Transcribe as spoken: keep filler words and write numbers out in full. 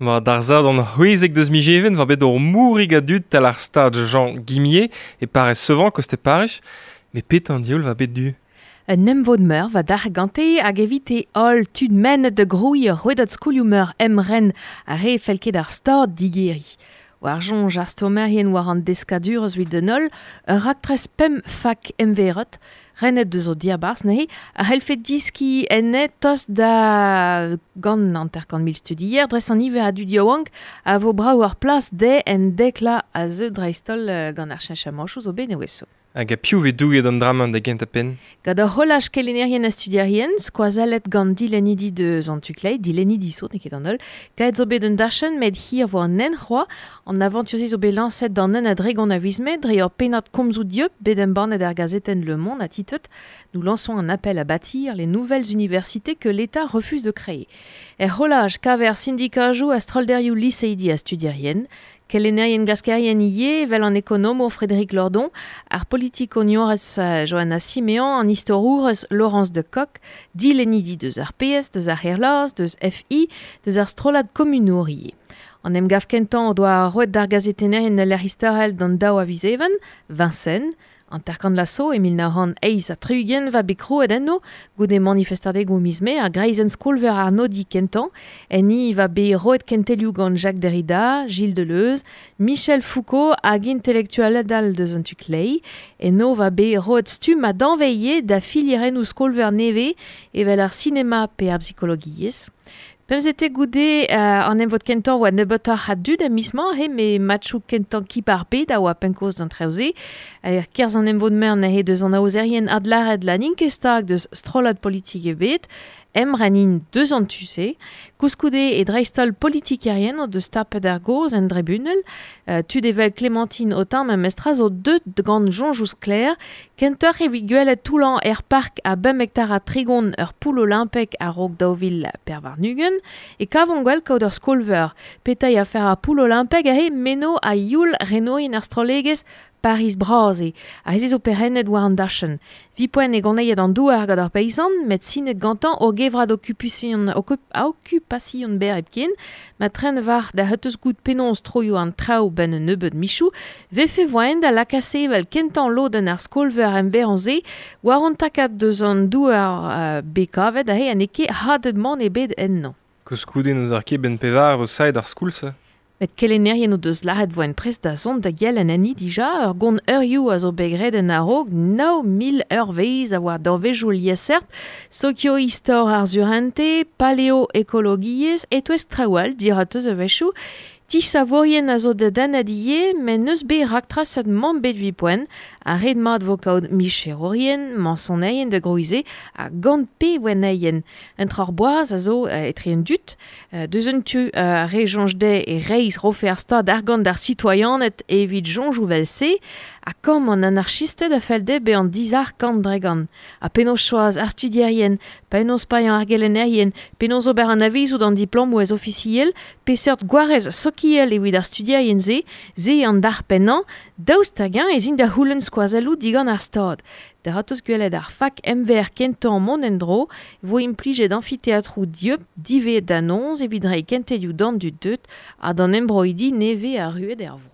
Ma d'ar zad an c'hwezek deus mijeven va bet ur mourig a dud tal ar stad Jean Guimier e parez Sevran koste Paris, me pet an dioul va bet du. Un emvod meur va d'ar gante hag evite holl tud mennet da groui ur rouedad skolioù meur emren a re felket ar stad digeri. War jonj ar stourmerien war an deskadur eus evit den holl, ur raktres pemp fak emverot, renet deus o diabarzh neuze, a c'hellfe diski enne tost da gant hanter-kant mil studier, dres an iver a dud yaouank a vo brav ur plas de en dekla a zeu dreist-holl gant ar cheñchamanchoù zo bet nevezo. Hag a piv vez douget an dra-mañ da gentañ penn? Gant ur c'holaj kelennerien ha studierien, skoazellet gant dilennidi deus an tu-kleiz, dilennidi zo, n'eo ket an holl, kaet zo bet un dachenn met hir vo an hent c'hoazh, an avantur-se zo bet lañset d'an hent a-dregont a viz Mae, dre ur pennad komzoù dieub bet embannet er gazetenn Le Monde a titlet Nous lançons un appel à bâtir les nouvelles universités que l'État refuse de créer. Er c'holaj kaver syndikajoù ha strolderioù liseidi ha studierien, kelennerien glaskerien ivez evel an ekonomour Frédéric Lordon, ar politikoniourez Johanna Siméon, an istorourez Laurence de Coq, dilennidi deus ar P S, deus ar Herlaz, deus F I, deus ar strollad komunour ivez. An emgav kentañ o doa roet d'ar gazetennerien ul lec'h istorel d'an daou a viz Even, Vincennes, an terkant laso e mil nav c'hant eizh ha tri-ugent va bet krouet enno goude manifestadegoù miz Mae ar greizenn skolveur ar nodi kentañ enni va bet roet kentelioù gant Jacques Derrida, Gilles Deleuze, Michel Foucault hag intelektualed all deus an tu klei. Eno va bet roet stumm ha danveilhe da filierennoù skolveur nevez evel ar sinema pe ar psikologiezh. Pemzete goude euh, an emvod kentañ oa nebeutoc'h a dud a miz-mañ, he, me matchoù kentañ kip ar bed a oa penn-kozh d'an traoù-se. Er kerzh an emvod meur neuze deus an aozerien adlâret la n'int ket stag deus strollad politik ebet, emrenin deus an tu-se. Koulskoude e dreist-holl politikerien o deus tapet ar gaoz en dribunal, euh, tud evel Clémentine Autain memestra zo deut gant soñjoù sklaer, kentoc'h evit gwelet toullañ er park a bemp hektar ha tregont ur poull olimpek a-raok daou vil pevar warn-ugent, e kavont gwell kaout ur skolveur. Petra eo afer ar poull olimpek aze meno a youl renourien ar strollegezh Paris bras eo, ha ez zo perennet war an dachenn. Vi poent e goneiet an douar gant ar peizant, met sinet gantañ o gevrad okupasion, okup, okupasion ber hepken, ma tren war da heteus gout penaos troioù an traoù ben un nebeud michoù, vefe voaen da lakase evel kentañ lodenn ar skolveur emverañ-se, war an takad deus an douar uh, bekavet aze ha n'eo ket hadet mann ebet ennañ. Koulskoude n'eus ar ket ben pevar vo saet ar skoulz. Met kelennerien o deus lâret voent prest da zont da gell en enni dija, ur gont eurioù a zo bet graet en a-raok nav mil eurvezh a oa danvezioù liesseurt, sokio-istor ar surente, paleo-ekologiezh, e-touez traoù all dirat eus a-wechoù. Tisavourien a zo da dennet ivez, met n'eus bet raktraset mann bet evit poent, ha ret mat vo kaout micherourien, mañsonerien da grouize, ha gant pe wenneien. Un troc'h boaz a zo euh, etre un dud, euh, deus un tu euh, re soñj dezhe e reizh rofe ar stad argant d'ar sitoaianed evit soñjoù vel-se, ha kamm an anarchisted a fell dezhe bezañ dizalc'h kant dregant. Ha penaos choaz ar studierien, penaos paeañ ar gelennerien, penaos ober an avizoù d'an diplomoù ez ofisiel, peseurt gwarez sokial evit ar studierien-se, se an dar pennañ, daoust hag-eñ ez int da c'houlenn skoazelloù digant ar stad. Da ratoz gwelet ar fak M V R kentañ mont en-dro, vo implijet amfiteatroù dieub divezet da noz evit reiñ kentelioù d'an dud deut ha d'an embroidi nevez arruet er vro.